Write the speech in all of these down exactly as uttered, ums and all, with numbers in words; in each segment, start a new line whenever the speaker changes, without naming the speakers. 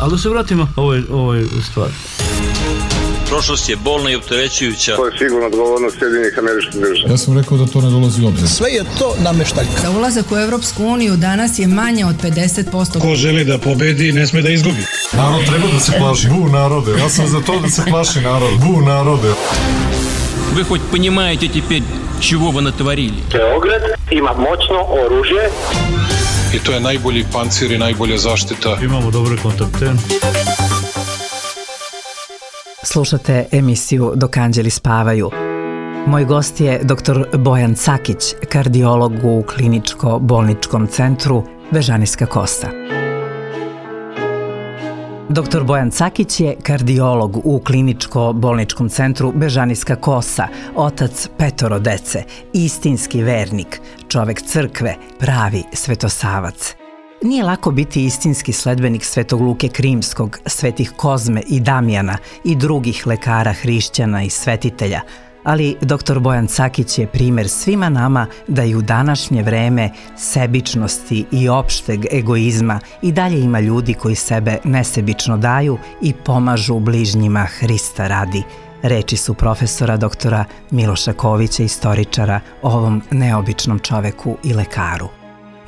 Ali da se vratimo ovoj, ovoj stvari.
Prošlost je bolna i opterećujuća.
To je sigurno odgovornost Sjedinjenih Američkih Država.
Ja sam rekao da to ne dolazi u obzir.
Sve je to nameštaljka.
Za ulazak u Evropsku uniju danas je manje od pedeset posto.
Ko želi da pobedi, ne sme da izgubi.
Narod treba da se plaši. Bu narode. Ja sam za to da se plaši narod. Bu narode.
Вы хоть понимаете теперь, чего вы натворили?
Beograd ima moćno oružje.
I to je najbolji pancir i najbolja zaštita.
Imamo dobre kontakte.
Slušate emisiju Dok anđeli spavaju. Moj gost je doktor Bojan Cakić, kardiolog u kliničko-bolničkom centru Bežanijska Kosa. doktor Bojan Cakić je kardiolog u kliničko-bolničkom centru Bežanijska Kosa, otac petoro dece, istinski vernik, čovek crkve, pravi svetosavac. Nije lako biti istinski sledbenik Svetog Luke Krimskog, svetih Kozme i Damjana i drugih lekara, hrišćana i svetitelja, ali doktor Bojan Cakić je primer svima nama da i u današnje vreme sebičnosti i opšteg egoizma i dalje ima ljudi koji sebe nesebično daju i pomažu bližnjima Hrista radi. Reči su profesora doktora Miloša Kovića, istoričara, o ovom neobičnom čoveku i lekaru.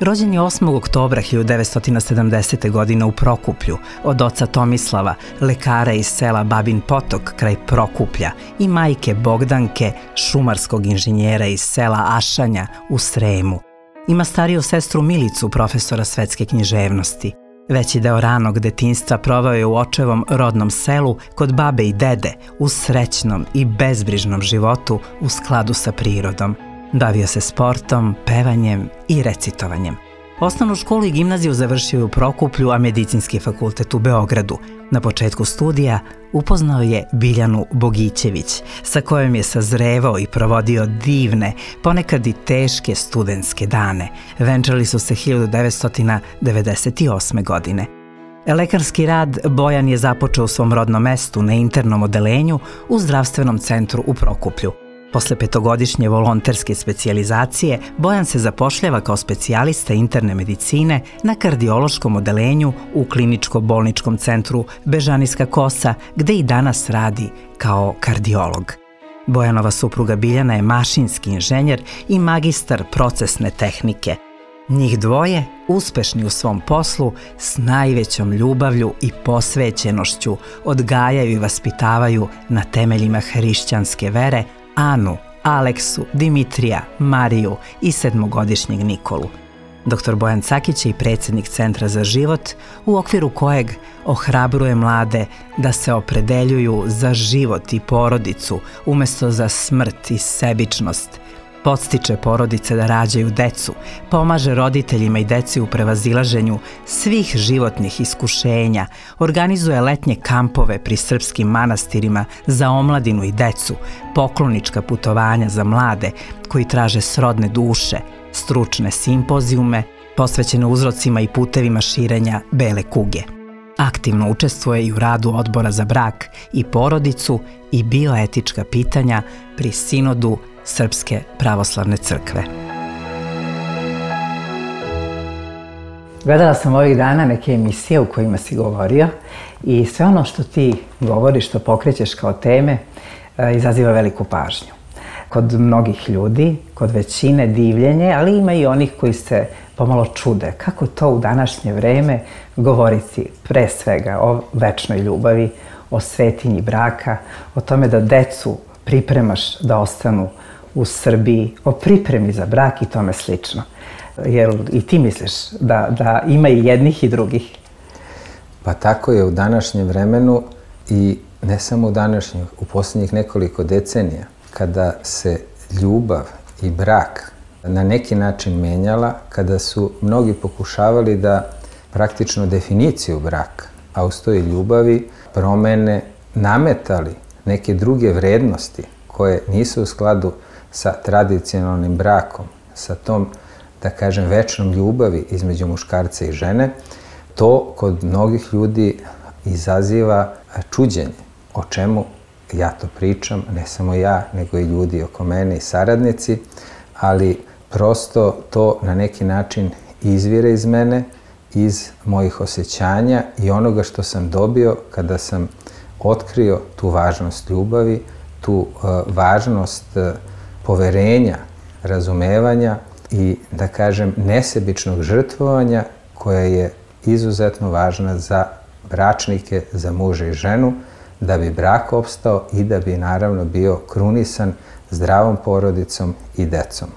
Rođen je osmog oktobra hiljadu devetsto sedamdesete. godine u Prokuplju od oca Tomislava, lekara iz sela Babin Potok kraj Prokuplja, i majke Bogdanke, šumarskog inženjera iz sela Ašanja u Sremu. Ima stariju sestru Milicu, profesora svetske književnosti. Veći deo ranog detinjstva proveo je u očevom rodnom selu kod babe i dede, u srećnom i bezbrižnom životu u skladu sa prirodom. Bavio se sportom, pevanjem i recitovanjem. Osnovnu školu i gimnaziju završio je u Prokuplju, a medicinski fakultet u Beogradu. Na početku studija upoznao je Biljanu Bogićević, sa kojom je sazrevao i provodio divne, ponekad i teške studentske dane. Venčali su se hiljadu devetsto devedeset osme. godine. Lekarski rad Bojan je započeo u svom rodnom mestu na internom odelenju u zdravstvenom centru u Prokuplju. Posle petogodišnje volonterske specijalizacije, Bojan se zapošljava kao specijalista interne medicine na kardiološkom odelenju u kliničko-bolničkom centru Bežanijska Kosa, gde i danas radi kao kardiolog. Bojanova supruga Biljana je mašinski inženjer i magistar procesne tehnike. Njih dvoje, uspešni u svom poslu, s najvećom ljubavlju i posvećenošću odgajaju i vaspitavaju na temeljima hrišćanske vere Anu, Aleksu, Dimitrija, Mariju i sedmogodišnjeg Nikolu. doktor Bojan Cakić je i predsjednik Centra za život, u okviru kojeg ohrabruje mlade da se opredeljuju za život i porodicu umesto za smrt i sebičnost. Podstiče porodice da rađaju decu, pomaže roditeljima i deci u prevazilaženju svih životnih iskušenja, organizuje letnje kampove pri srpskim manastirima za omladinu i decu, poklonička putovanja za mlade koji traže srodne duše, stručne simpozijume posvećene uzrocima i putevima širenja bele kuge. Aktivno učestvuje i u radu Odbora za brak i porodicu i bioetička pitanja pri sinodu Srpske pravoslavne crkve. Gledala sam ovih dana neke emisije u kojima si govorio i sve ono što ti govoriš, što pokrećeš kao teme, izaziva veliku pažnju. Kod mnogih ljudi, kod većine divljenje, ali ima i onih koji se pomalo čude. Kako to u današnje vreme govoriti pre svega o večnoj ljubavi, o svetinji braka, o tome da decu pripremaš da ostanu u Srbiji, o pripremi za brak i tome slično. Jer i ti misliš da, da ima i jednih i drugih?
Pa tako je u današnjem vremenu i ne samo u današnjem, u posljednjih nekoliko decenija, kada se ljubav i brak na neki način menjala, kada su mnogi pokušavali da praktično definiciju braka, a uz to i ljubavi, promene, nametali neke druge vrednosti koje nisu u skladu sa tradicionalnim brakom, sa tom, da kažem, večnom ljubavi između muškarca i žene, to kod mnogih ljudi izaziva čuđenje. O čemu ja to pričam, ne samo ja, nego i ljudi oko mene i saradnici, ali prosto to na neki način izvire iz mene iz mojih osjećanja i onoga što sam dobio kada sam otkrio tu važnost ljubavi, tu uh, važnost uh, poverenja, razumevanja i, da kažem, nesebičnog žrtvovanja koja je izuzetno važna za bračnike, za muža i ženu, da bi brak opstao i da bi naravno bio krunisan zdravom porodicom i decom.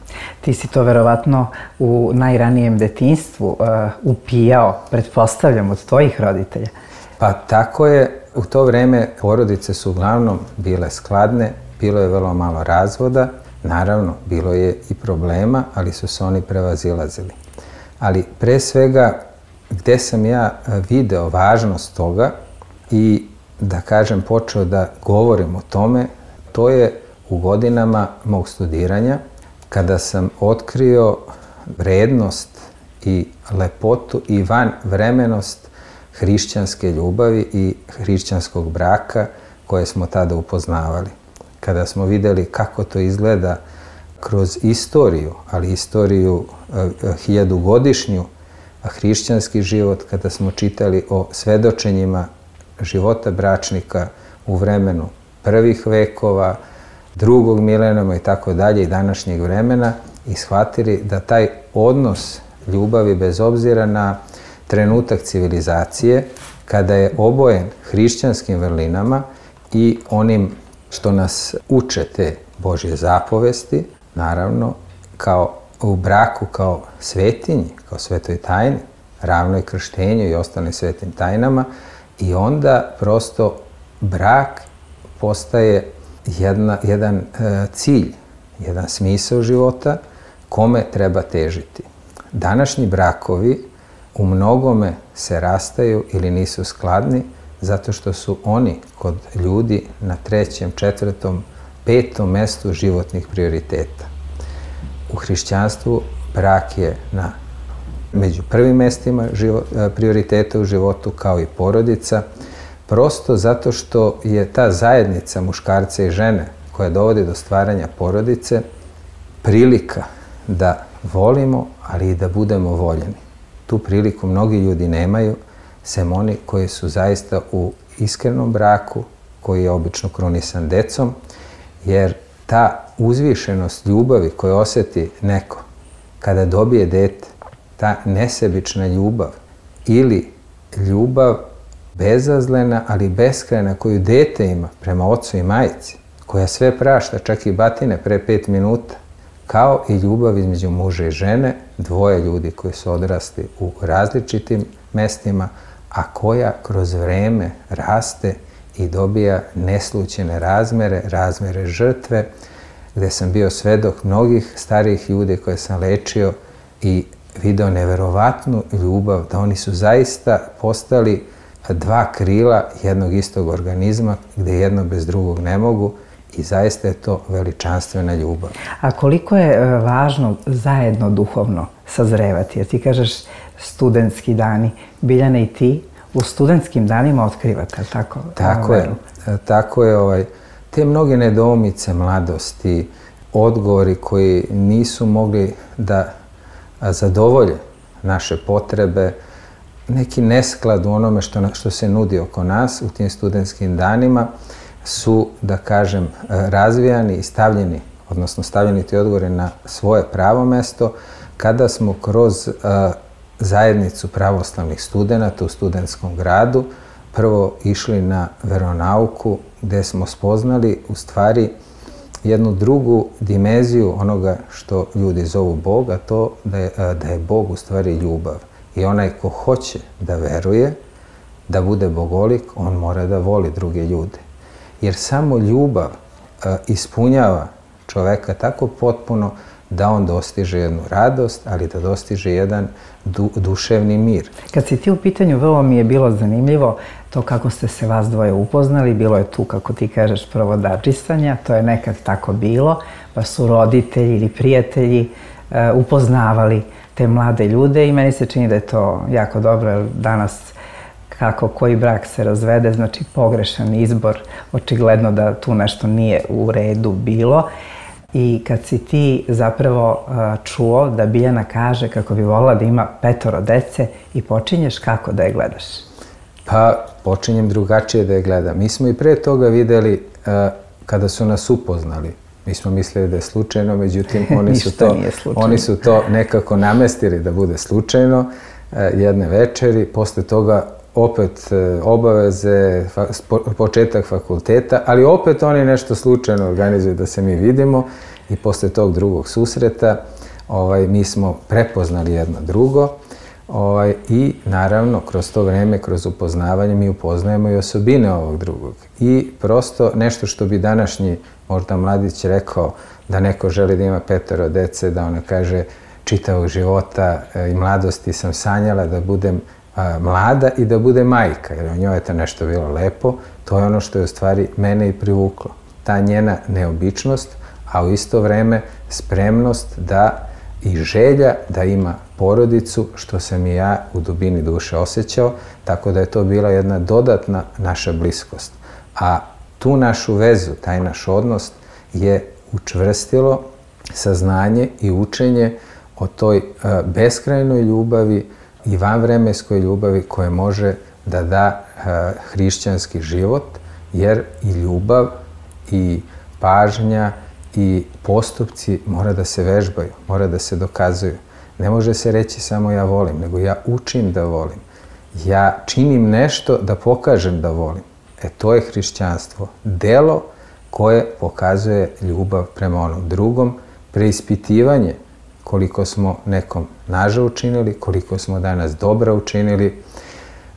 Ti si to verovatno u najranijem detinjstvu uh, upijao, pretpostavljam, od tvojih roditelja.
Pa tako je. U to vreme porodice su uglavnom bile skladne, bilo je vrlo malo razvoda, naravno bilo je i problema, ali su se oni prevazilazili. Ali pre svega gde sam ja video važnost toga i, da kažem, počeo da govorim o tome, to je u godinama mog studiranja, kada sam otkrio vrednost i lepotu i vanvremenost hrišćanske ljubavi i hrišćanskog braka koje smo tada upoznavali. Kada smo videli kako to izgleda kroz istoriju, ali istoriju eh, hiljadugodišnju, hrišćanski život, kada smo čitali o svedočenjima života bračnika u vremenu prvih vekova, drugog milenijuma i tako dalje i današnjeg vremena i shvatili da taj odnos ljubavi bez obzira na trenutak civilizacije, kada je obojen hrišćanskim vrlinama i onim što nas uče te Božje zapovesti, naravno, kao u braku kao svetinji, kao svetoj tajni, ravnoj krštenju i ostalim svetim tajnama, i onda prosto brak postaje jedna, jedan e, cilj, jedan smisao života kome treba težiti. Današnji brakovi u mnogome se rastaju ili nisu skladni zato što su oni kod ljudi na trećem, četvrtom, petom mestu životnih prioriteta. U hrišćanstvu brak je na među prvim mestima život, prioriteta u životu, kao i porodica, prosto zato što je ta zajednica muškarca i žene koja dovodi do stvaranja porodice prilika da volimo, ali i da budemo voljeni. Tu priliku mnogi ljudi nemaju, sem oni koji su zaista u iskrenom braku, koji je obično krunisan decom, jer ta uzvišenost ljubavi koju osjeti neko kada dobije dete, ta nesebična ljubav ili ljubav bezazlena, ali beskrajna koju dete ima prema ocu i majci, koja sve prašta, čak i batine pre pet minuta, kao i ljubav između muža i žene, dvoje ljudi koji su odrasli u različitim mestima, a koja kroz vreme raste i dobija neslućene razmere, razmere žrtve, gde sam bio svedok mnogih starijih ljudi koje sam lečio i video neverovatnu ljubav, da oni su zaista postali dva krila jednog istog organizma, gde jedno bez drugog ne mogu, i zaista je to veličanstvena ljubav.
A koliko je važno zajedno duhovno sazrevati? Jer ti kažeš studentski dani. Biljana, i ti u studentskim danima otkrivate, tako?
Tako je. Tako je. Ovaj, te mnoge nedoumice mladosti, odgovori koji nisu mogli da zadovolje naše potrebe, neki nesklad u onome što, što se nudi oko nas u tim studentskim danima, su, da kažem, razvijani i stavljeni, odnosno stavljeni ti odgovori na svoje pravo mesto, kada smo kroz uh, zajednicu pravoslavnih studenata u studentskom gradu prvo išli na veronauku, gde smo spoznali u stvari jednu drugu dimenziju onoga što ljudi zovu Bog, a to da je, da je Bog u stvari ljubav. I onaj ko hoće da veruje, da bude bogolik, on mora da voli druge ljude. Jer samo ljubav e, ispunjava čoveka tako potpuno da on dostiže jednu radost, ali da dostiže jedan du, duševni mir.
Kad si ti u pitanju, vrlo mi je bilo zanimljivo to kako ste se vas dvoje upoznali. Bilo je tu, kako ti kažeš, provodadžistvanja, to je nekad tako bilo, pa su roditelji ili prijatelji e, upoznavali te mlade ljude i meni se čini da je to jako dobro, jer danas kako koji brak se razvede, znači pogrešan izbor, očigledno da tu nešto nije u redu bilo. i kad si ti zapravo čuo da Biljana kaže kako bi volila da ima petoro dece i počinješ kako da je gledaš?
Pa počinjem drugačije da je gledam. Mi smo i pre toga videli kada su nas upoznali. Mi smo mislili da je slučajno, međutim oni su to, oni su to nekako namestili da bude slučajno jedne večeri. Posle toga opet obaveze, početak fakulteta, ali opet oni nešto slučajno organizuju da se mi vidimo i posle tog drugog susreta ovaj, mi smo prepoznali jedno drugo ovaj, i naravno kroz to vreme, kroz upoznavanje mi upoznajemo i osobine ovog drugog. I prosto nešto što bi današnji možda mladić rekao da neko želi da ima petoro dece, da ona kaže čitavog života i mladosti sam sanjala da budem mlada i da bude majka, jer o njoj je to nešto bilo lepo, to je ono što je u stvari mene i privuklo. Ta njena neobičnost, a u isto vreme spremnost da i želja da ima porodicu, što sam i ja u dubini duše osjećao, tako da je to bila jedna dodatna naša bliskost. A tu našu vezu, taj naš odnos je učvrstilo saznanje i učenje o toj beskrajnoj ljubavi i vanvremenskoj ljubavi koje može da da hrišćanski život, jer i ljubav i pažnja i postupci mora da se vežbaju, mora da se dokazuju. Ne može se reći samo ja volim, nego ja učim da volim. Ja činim nešto da pokažem da volim. E to je hrišćanstvo. Delo koje pokazuje ljubav prema onom drugom, preispitivanje koliko smo nekom naža učinili, koliko smo danas dobra učinili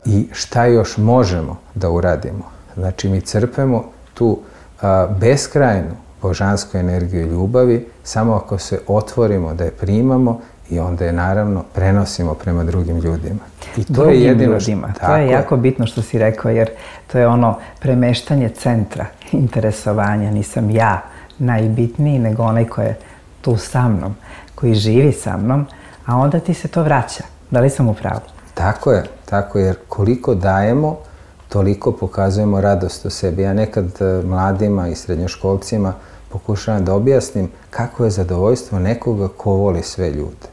i šta još možemo da uradimo. Znači mi crpemo tu a, beskrajnu božansku energiju ljubavi samo ako se otvorimo da je primamo i onda je naravno prenosimo prema drugim ljudima. I to
drugim
je jedino
ljudima. Što, to je jako je. bitno što si rekao, jer to je ono premeštanje centra interesovanja. Nisam ja najbitniji, nego onaj ko je tu sa mnom, koji živi sa mnom, a onda ti se to vraća. Da li sam u pravu?
Tako je, tako je, jer koliko dajemo, toliko pokazujemo radost u sebi. Ja nekad mladima i srednjoškolcima pokušavam da objasnim kako je zadovoljstvo nekoga ko voli sve ljude.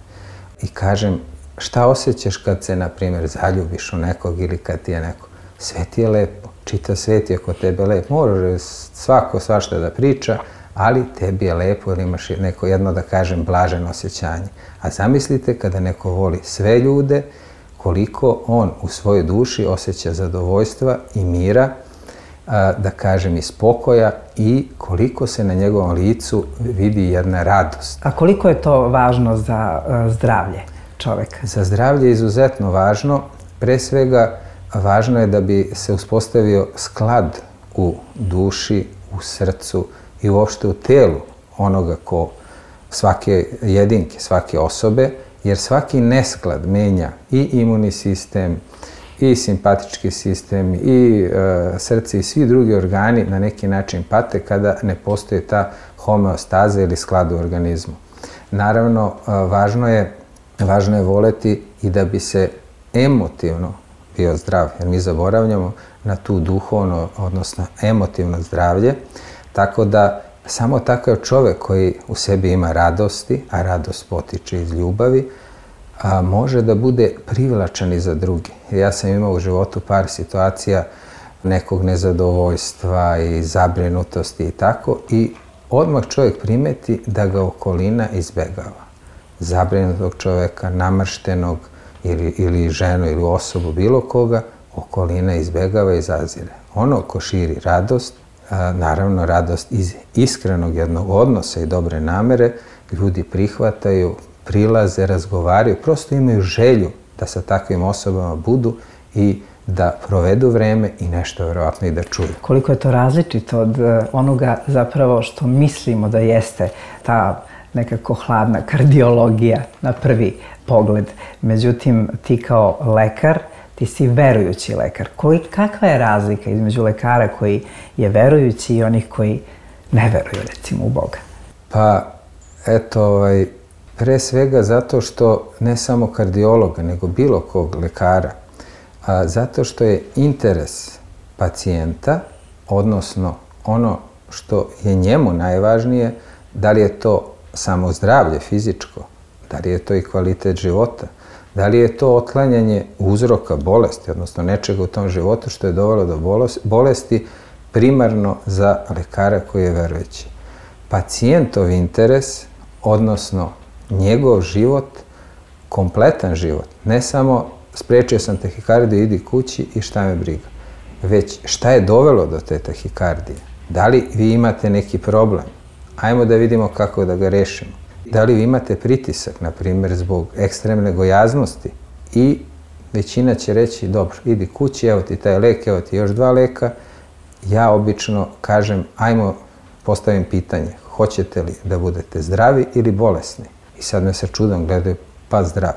I kažem, šta osjećaš kad se, na primjer, zaljubiš u nekog ili kad ti je neko? Sve ti je lepo, čitav svet je oko tebe lep. Može svako svašta da priča, ali tebi je lepo jer imaš neko jedno, da kažem, blaženo osjećanje. A zamislite kada neko voli sve ljude, koliko on u svojoj duši osjeća zadovoljstva i mira, da kažem i spokoja, i koliko se na njegovom licu vidi jedna radost.
A koliko je to važno za zdravlje čoveka?
Za zdravlje je izuzetno važno. Pre svega, važno je da bi se uspostavio sklad u duši, u srcu i uopšte u telu onoga ko, svake jedinke, svake osobe, jer svaki nesklad menja i imunni sistem, i simpatički sistem, i e, srce i svi drugi organi na neki način pate kada ne postoji ta homeostaza ili sklad u organizmu. Naravno, e, važno je, važno je voleti i da bi se emotivno bio zdrav, jer mi zaboravljamo na tu duhovno, odnosno emotivno zdravlje, tako da samo takav čovek koji u sebi ima radosti, a radost potiče iz ljubavi, a može da bude privlačan i za drugi. Ja sam imao u životu par situacija nekog nezadovoljstva i zabrinutosti i tako, i odmah čovjek primeti da ga okolina izbegava. Zabrinutog čovjeka, namrštenog ili, ili ženu ili osobu, bilo koga, okolina izbegava i zazire. Ono ko širi radost, a, naravno radost iz iskrenog jednog odnosa i dobre namere, ljudi prihvataju, prilaze, razgovaraju, prosto imaju želju da sa takvim osobama budu i da provedu vreme i nešto vjerovatno i da čuju.
Koliko je to različito od onoga zapravo što mislimo da jeste ta nekako hladna kardiologija na prvi pogled. Međutim, ti kao lekar, ti si verujući lekar. Koji, kakva je razlika između lekara koji je verujući i onih koji ne veruju, recimo, u Boga?
Pa, eto, ovaj, pre svega zato što ne samo kardiologa, nego bilo kog lekara, a, zato što je interes pacijenta, odnosno ono što je njemu najvažnije, Da li je to samo zdravlje fizičko? Da li je to i kvalitet života? Da li je to otklanjanje uzroka bolesti, odnosno nečega u tom životu što je dovelo do bolesti, primarno za lekara koji je verujući? Pacijentov interes, odnosno njegov život, kompletan život, ne samo sprečio sam tahikardiju, idi kući i šta me briga, već šta je dovelo do te tahikardije? Da li vi imate neki problem? Ajmo da vidimo kako da ga rešimo. Da li vi imate pritisak, na primjer, zbog ekstremne gojaznosti? I većina će reći, dobro, idi kući, evo ti taj lek, evo ti još dva leka. Ja obično kažem, ajmo postavim pitanje, hoćete li da budete zdravi ili bolesni? I sad me sa čudom gledaju, pa zdrav.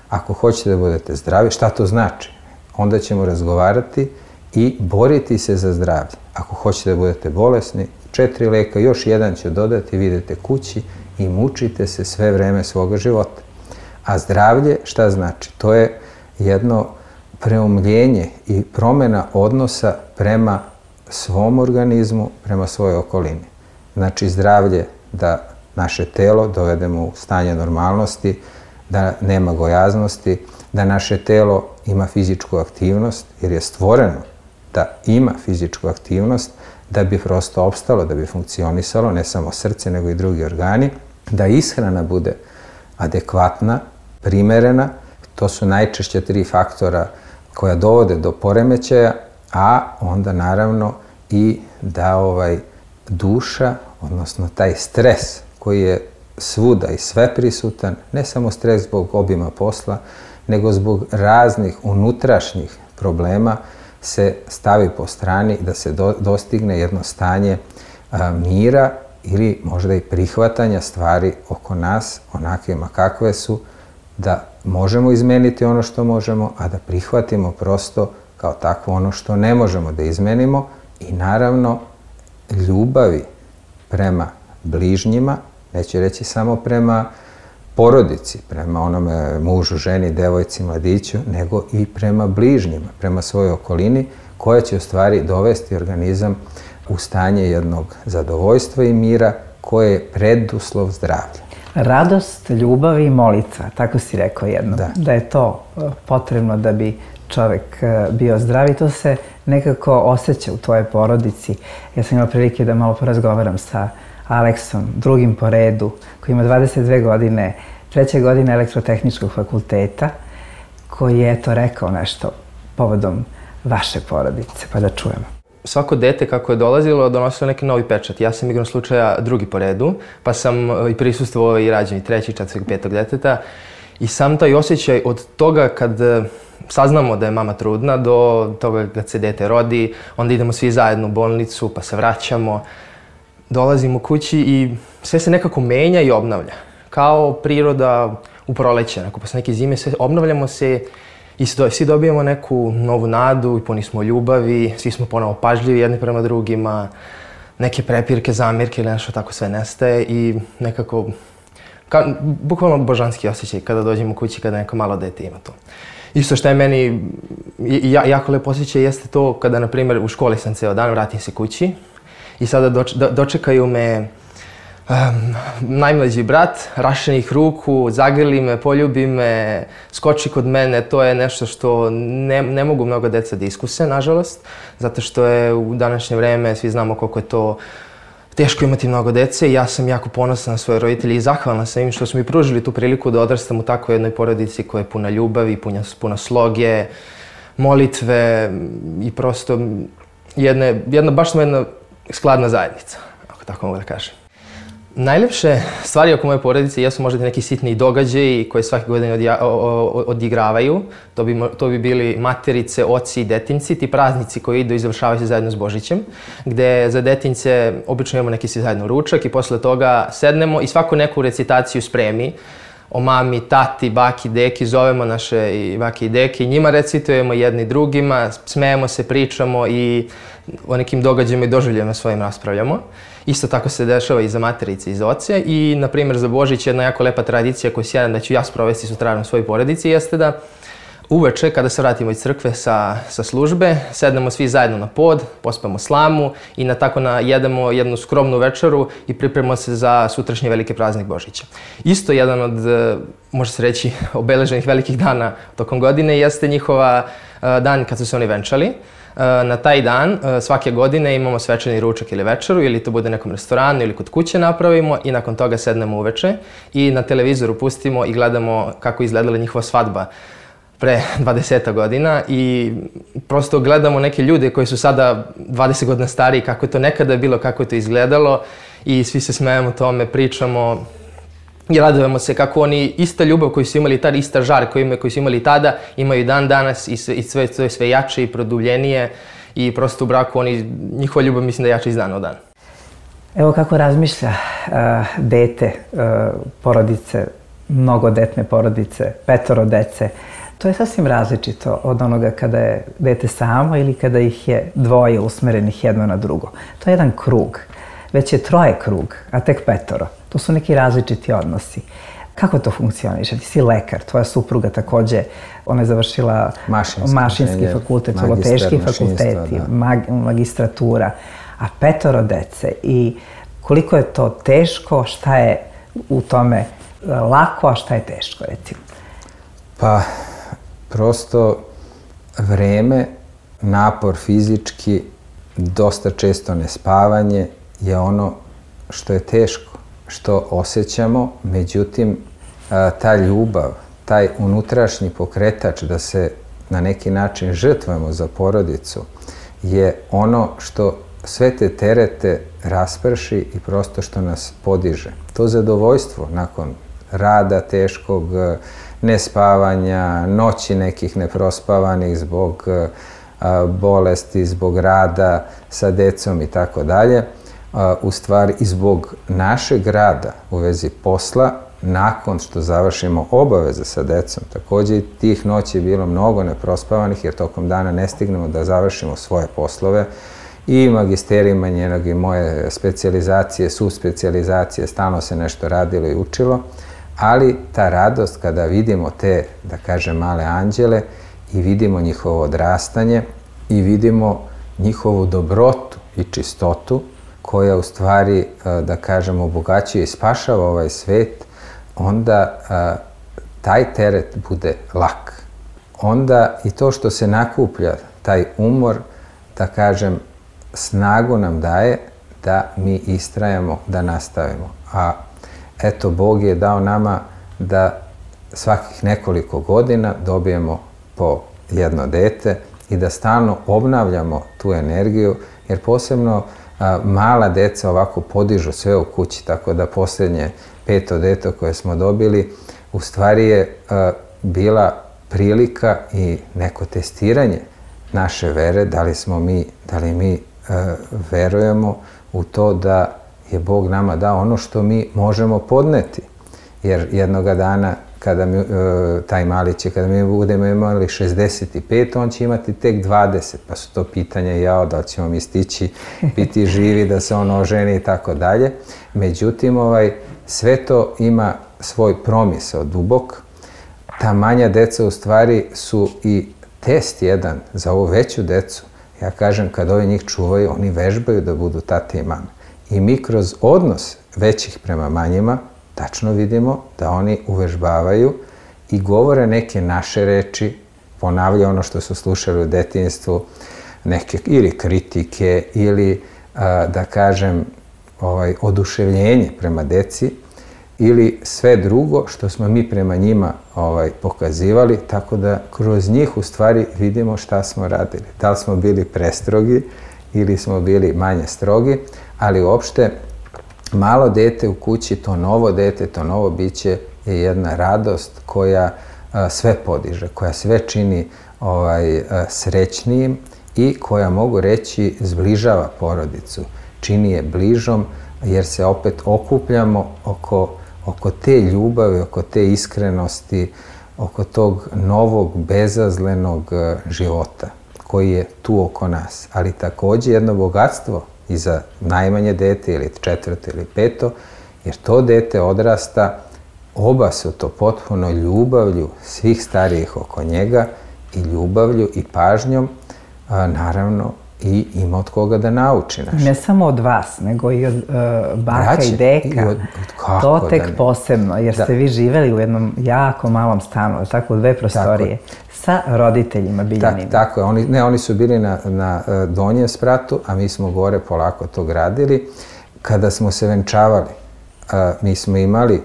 Ako hoćete da budete zdravi, šta to znači? Onda ćemo razgovarati i boriti se za zdravlje. Ako hoćete da budete bolesni, četiri leka, još jedan ću dodati, vi idete kući i mučite se sve vreme svoga života. A zdravlje, šta znači? To je jedno preumljenje i promjena odnosa prema svom organizmu, prema svojoj okolini. Znači zdravlje da naše telo dovedemo u stanje normalnosti, da nema gojaznosti, da naše telo ima fizičku aktivnost, jer je stvoreno da ima fizičku aktivnost, da bi prosto opstalo, da bi funkcionisalo, ne samo srce, nego i drugi organi, da ishrana bude adekvatna, primerena. To su najčešće tri faktora koja dovode do poremećaja, a onda naravno i da ovaj duša, odnosno taj stres koji je svuda i sve prisutan, ne samo stres zbog obima posla, nego zbog raznih unutrašnjih problema, se stavi po strani da se do, dostigne jedno stanje a, mira ili možda i prihvatanja stvari oko nas, onakvima kakve su, da možemo izmeniti ono što možemo, a da prihvatimo prosto kao takvo ono što ne možemo da izmenimo i naravno ljubavi prema bližnjima, neću reći samo prema porodici, prema onome mužu, ženi, devojci, mladiću, nego i prema bližnjima, prema svojoj okolini, koja će u stvari dovesti organizam u stanje jednog zadovoljstva i mira, koje je preduslov zdravlja.
Radost, ljubav i molitva, tako si rekao jedno.
Da.
Da je to potrebno da bi čovek bio zdrav i to se nekako osjeća u tvojoj porodici. Ja sam imala prilike da malo porazgovaram sa Aleksom, drugim po redu, koji ima dvadeset dve godine, treće godine elektrotehničkog fakulteta, koji je eto rekao nešto povodom vaše porodice, pa da čujemo.
Svako dete kako je dolazilo donosilo neki novi pečat. Ja sam igrom slučaja drugi po redu, pa sam i prisustvovao i rađenju trećeg, četvrtog, petog deteta. I sam taj osjećaj od toga kad saznamo da je mama trudna do toga kad se dete rodi, onda idemo svi zajedno u bolnicu pa se vraćamo. Dolazimo kući i sve se nekako menja i obnavlja. Kao priroda u proleće, onako posle neke zime, sve obnavljamo se i svi dobijemo neku novu nadu i puni smo ljubavi, svi smo ponovo pažljivi jedni prema drugima, neke prepirke, zamirke ili nešto tako sve nestaje i nekako, ka, bukvalno božanski osjećaj kada dođemo kući, kada neko malo dete ima to. Isto što je meni ja, jako lepo osjećaj jeste to kada, na primjer, u školi sam ceo dan, vratim se kući i sada doč, do, dočekaju me um, najmlađi brat, rašenih ruku, zagrli me, poljubi me, skoči kod mene. To je nešto što ne, ne mogu mnogo deca da iskuse, nažalost, zato što je u današnje vreme, svi znamo koliko je to teško imati mnogo dece i ja sam jako ponosan na svoje roditelje i zahvalna sam im što su mi pružili tu priliku da odrastam u takvoj jednoj porodici koja je puna ljubavi, puna, puna sloge, molitve i prosto jedne, jedna, baš smo jedna skladna zajednica, ako tako mogu da kažem. Najlepše stvari oko moje porodice jesu možda neki sitni događaji koje svake godine odja, o, o, odigravaju. To bi, to bi bili materice, oci i detinci, ti praznici koji idu i završavaju se zajedno s Božićem, gde za detince obično imamo neki svi zajedno ručak i posle toga sednemo i svaku neku recitaciju spremi o mami, tati, baki, deki, zovemo naše i baki i deki, njima recitujemo jedni drugima, smejemo se, pričamo i o nekim događajima i doživljajima svojim raspravljamo. Isto tako se dešava i za materice i za oce i, na primjer, za Božić jedna jako lepa tradicija koju sjedan da ću ja sprovesti sutradan u svojoj porodici jeste da uveče, kada se vratimo iz crkve sa, sa službe, sednemo svi zajedno na pod, pospemo slamu i na tako na jedemo jednu skromnu večeru i pripremamo se za sutrašnji veliki praznik Božića. Isto jedan od, može se reći, obeleženih velikih dana tokom godine jeste njihova dan kad su se oni venčali. Na taj dan svake godine imamo svečani ručak ili večeru, ili to bude nekom restoranu ili kod kuće napravimo i nakon toga sednemo uveče i na televizoru pustimo i gledamo kako izgledala njihova svadba pre dvadeset godina i prosto gledamo neke ljude koji su sada dvadeset godina stariji, kako je to nekada bilo, kako je to izgledalo i svi se smejemo tome, pričamo i radujemo se kako oni ista ljubav koju su imali tada, ista žar koju, imaju, koju su imali tada, imaju i dan danas i sve, i sve, sve, sve jače i produbljenije i prosto u braku oni, njihova ljubav mislim da je jača iz dana u dan.
Evo kako razmišlja uh, dete, uh, porodice, mnogodetne porodice, petoro dece. To je sasvim različito od onoga kada je dete samo ili kada ih je dvoje usmerenih jedno na drugo. To je jedan krug. Već je troje krug, a tek petoro. To su neki različiti odnosi. Kako to funkcioniše? Ti si lekar, tvoja supruga takođe, ona je završila
mašinski,
mašinski fakultet, teški fakulteti, mag, magistratura, a petoro dece. I koliko je to teško, šta je u tome lako, a šta je teško, recimo?
Pa, prosto vreme, napor fizički, dosta često nespavanje je ono što je teško, što osjećamo, međutim, ta ljubav, taj unutrašnji pokretač da se na neki način žrtvujemo za porodicu je ono što sve te terete rasprši i prosto što nas podiže. To zadovoljstvo nakon rada teškog, nespavanja, noći nekih neprospavanih zbog bolesti, zbog rada sa decom i tako dalje, u stvari i zbog našeg rada u vezi posla, nakon što završimo obaveze sa decom. Takođe, tih noći je bilo mnogo neprospavanih jer tokom dana ne stignemo da završimo svoje poslove i magisterijima njenog i moje specijalizacije, subspecijalizacije, stalno se nešto radilo i učilo, ali ta radost kada vidimo te, da kažem, male anđele i vidimo njihovo odrastanje i vidimo njihovu dobrotu i čistotu koja u stvari, da kažem, obogaćuje i spašava ovaj svet, onda taj teret bude lak. Onda i to što se nakuplja, taj umor, da kažem, snagu nam daje da mi istrajamo, da nastavimo. A eto, Bog je dao nama da svakih nekoliko godina dobijemo po jedno dete i da stalno obnavljamo tu energiju, jer posebno a, mala deca ovako podižu sve u kući, tako da posljednje peto dete koje smo dobili u stvari je a, bila prilika i neko testiranje naše vere, da li smo mi, da li mi a, verujemo u to da je Bog nama dao ono što mi možemo podneti. Jer jednoga dana, kada mi, taj mali će, kada mi budemo imali šezdeset pet, on će imati tek dvadeset, pa su to pitanja jao, da li ćemo mi stići biti živi, da se on oženi i tako dalje. Međutim, ovaj, sve to ima svoj promisao dubok. Ta manja deca u stvari su i test jedan za ovu veću decu. Ja kažem, kad ovi njih čuvaju, oni vežbaju da budu tate i mame. I mi kroz odnos većih prema manjima tačno vidimo da oni uvežbavaju i govore neke naše reči, ponavljaju ono što su slušali u detinjstvu, neke ili kritike ili, a, da kažem, ovaj, oduševljenje prema deci ili sve drugo što smo mi prema njima ovaj, pokazivali, tako da kroz njih u stvari vidimo šta smo radili. Da li smo bili prestrogi ili smo bili manje strogi, ali uopšte malo dete u kući, to novo dete, to novo biće je jedna radost koja a, sve podiže, koja sve čini ovaj, a, srećnijim i koja, mogu reći, zbližava porodicu. Čini je bližom jer se opet okupljamo oko, oko te ljubavi, oko te iskrenosti, oko tog novog, bezazlenog a, života koji je tu oko nas. Ali takođe jedno bogatstvo i za najmanje dete ili četvrto ili peto, jer to dete odrasta, oba su to potpuno ljubavlju svih starijih oko njega i ljubavlju i pažnjom, a, naravno i ima od koga da nauči naš.
Ne samo od vas, nego i od uh, baka
Braće,
i deka.
I od, od,
to tek
da
posebno, jer
da.
ste vi živeli u jednom jako malom stanu, tako u dve prostorije, sa roditeljima Biljanima.
Tak, tako je, oni, ne, oni su bili na, na donjem spratu, a mi smo gore polako to gradili. Kada smo se venčavali, a, mi smo imali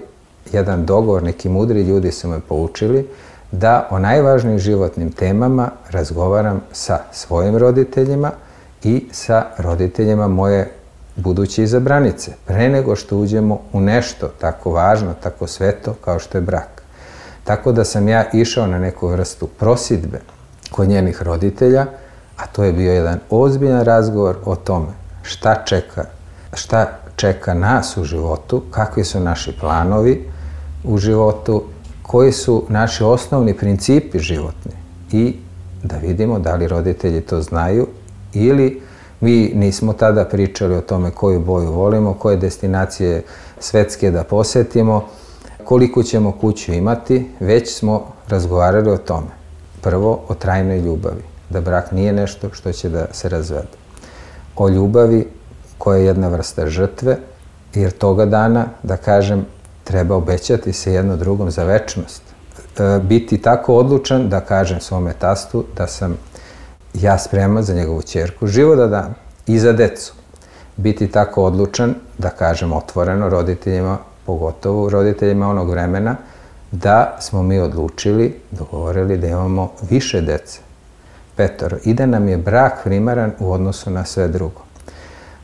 jedan dogovor, neki mudri ljudi su me poučili, da o najvažnijim životnim temama razgovaram sa svojim roditeljima i sa roditeljima moje buduće izabranice, pre nego što uđemo u nešto tako važno, tako sveto kao što je brak. Tako da sam ja išao na neku vrstu prosidbe kod njenih roditelja, a to je bio jedan ozbiljan razgovor o tome šta čeka, šta čeka nas u životu, kakvi su naši planovi u životu, koji su naši osnovni principi životni i da vidimo da li roditelji to znaju ili mi nismo tada pričali o tome koju boju volimo, koje destinacije svetske da posetimo, koliko ćemo kuću imati, već smo razgovarali o tome. Prvo, o trajnoj ljubavi, da brak nije nešto što će da se razvede. O ljubavi koja je jedna vrsta žrtve, jer toga dana, da kažem, treba obećati se jedno drugom za večnost. E, biti tako odlučan da kažem svome tastu da sam ja spreman za njegovu ćerku život da dam i za decu. Biti tako odlučan da kažem otvoreno roditeljima, pogotovo roditeljima onog vremena, da smo mi odlučili, dogovorili da imamo više dece, petoro, i da nam je brak primaran u odnosu na sve drugo.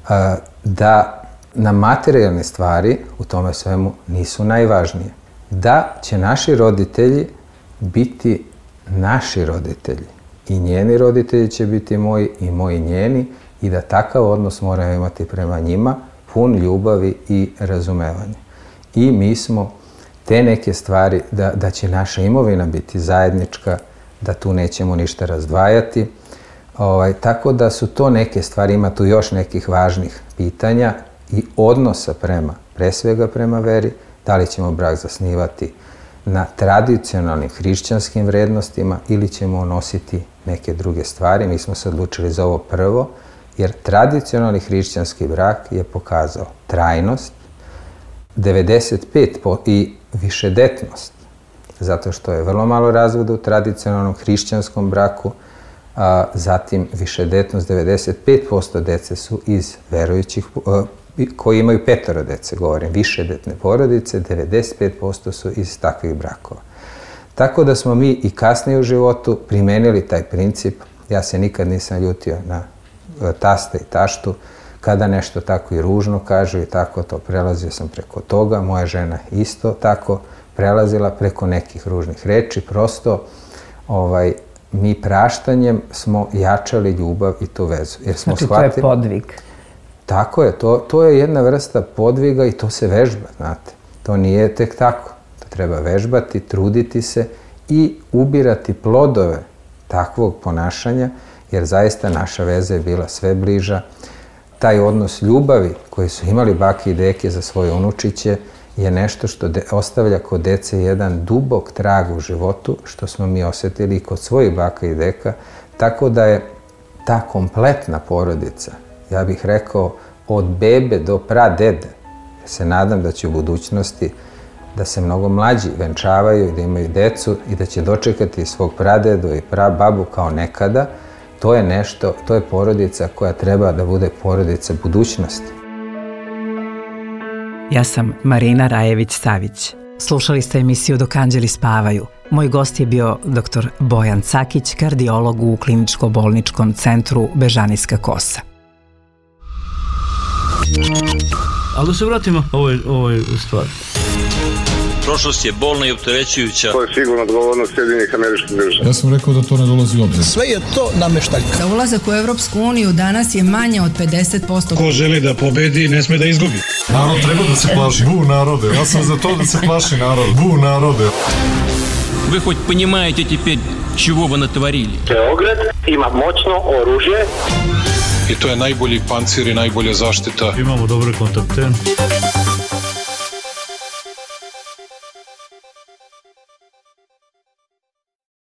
E, da na materijalne stvari u tome svemu nisu najvažnije. Da će naši roditelji biti naši roditelji i njeni roditelji će biti moji i moji njeni i da takav odnos moramo imati prema njima, pun ljubavi i razumevanja. I mi smo te neke stvari, da, da će naša imovina biti zajednička, da tu nećemo ništa razdvajati. Ovaj, tako da su to neke stvari, ima tu još nekih važnih pitanja i odnosa prema, pre svega prema veri, da li ćemo brak zasnivati na tradicionalnim hrišćanskim vrednostima ili ćemo nositi neke druge stvari. Mi smo se odlučili za ovo prvo, jer tradicionalni hrišćanski brak je pokazao trajnost, devedeset pet posto i višedetnost, zato što je vrlo malo razvoda u tradicionalnom hrišćanskom braku, a zatim višedetnost, devedeset pet posto dece su iz verujućih, koji imaju petoro dece, govorim, višedetne porodice, devedeset pet posto su iz takvih brakova. Tako da smo mi i kasnije u životu primenili taj princip. Ja se nikad nisam ljutio na tasta i taštu, kada nešto tako i ružno kažu i tako to, prelazio sam preko toga, moja žena isto tako prelazila preko nekih ružnih reči, prosto ovaj, mi praštanjem smo jačali ljubav i tu vezu. Jer smo
znači
shvatili,
to je podvig.
Tako je, to, to je jedna vrsta podviga i to se vežba, znate. To nije tek tako. To treba vežbati, truditi se i ubirati plodove takvog ponašanja, jer zaista naša veza je bila sve bliža. Taj odnos ljubavi koji su imali bake i deke za svoje unučiće je nešto što de, ostavlja kod dece jedan dubok trag u životu, što smo mi osjetili i kod svojih baka i deka, tako da je ta kompletna porodica, ja bih rekao, od bebe do pradede, ja se nadam da će u budućnosti da se mnogo mlađi venčavaju i da imaju decu i da će dočekati svog pradedu i prababu kao nekada. To je nešto, to je porodica koja treba da bude porodica budućnosti.
Ja sam Marina Rajević-Savić. Slušali ste emisiju Dok anđeli spavaju. Moj gost je bio doktor Bojan Cakić, kardiolog u kliničko-bolničkom centru Bežanijska kosa.
Ali da se vratimo ovoj, ovoj stvari.
Prošlost je bolna i opterećujuća.
To je sigurno odgovornost Sjedinjenih Američkih Država.
Ja sam rekao da to ne dolazi u obzir.
Sve je to nameštaljka.
Za ulazak u Evropsku uniju danas je manje od pedeset posto.
Ko želi da pobedi, ne sme da izgubi.
Narod treba da se plaši. Bu narode. Ja sam za to da se plaši narod. Bu narode.
Вы хоть понимаете теперь, чего вы натворили?
Beograd ima moćno oružje.
I to je najbolji pancir i najbolja zaštita.
Imamo dobre kontakte.